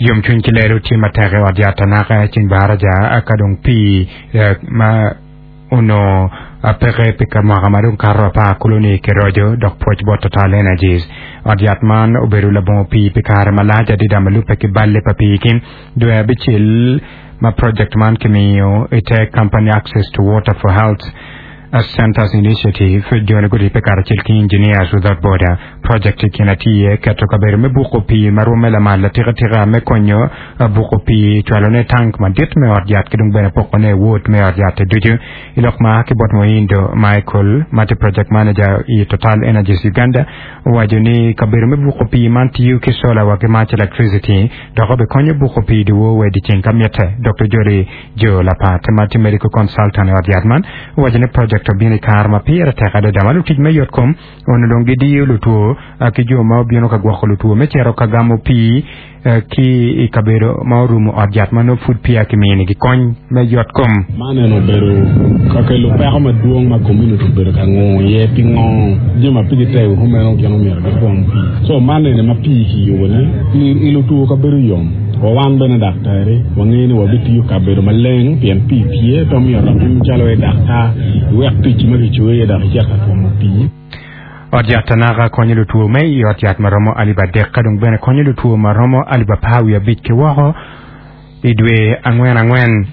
Yomcwiny ki lelo tye matek i ot yat anaka i ceng baraja ka dong pii ma onongo peke pi ka mwaka ma dong kato apar kulu-ni kiroco dok pwoc bot Total Energies. Ot yat man obedo labongo pii pi kare malac adada ma lubbe ki balle pa pii ki dwe abicel ma project man kimiyo i te Company Access to Water for Health Centers Initiative, joni guribbe karacel ki Engineers Without Border. Project i kine tye iye keto kabedo me buko pii ma rwomme lamal atikatika me konyo buko pii, cwalone i tank madit me ot yat ki dong bene pokone i ward me ot yat-ti ducu. I lok ma ki bot Muhindo Michael ma tye Project Manager i Total Energies Uganda owaco ni kabedo me buko pii man tiyo ki sola wa ki mac electricity dok obikonyo buko pii dyewor wa i dyeceng ka mitte. Doktor Jolly Jo Lapat ma tye Medical Consultant i ot yat man owaco ni project obino i kare ma pire tek adada ma lutic me yotkom onongo dong gidiyo lutwo ki jo ma obino ka gwoko lutwo me cito ka gamo pii ki i kabedo ma orumo ot yat ma nongo pud peya kiminigi kony me yotkom. Man eno obedo ka kelo peko madwong ma community obedo ka ngungo iye pingo jami ma pigi tego kumeno gin omyero gitwom pii. So man eni ma pii kiyubo ni i lutwo kabedo yom wa wan bene daktari wangeyo ni wabitiyo kabedo maleng pien pii tye pe omyero dok in calo i daktar iwek ticci ma kicoyi iye dok icit ka twomo pii. Ot yat Tanaka konyo lutwo me i ot yat ma romo alip adek ka dong bene konyo lutwo ma romo alip apar wiye abic ki woko i dwe angwen angwen.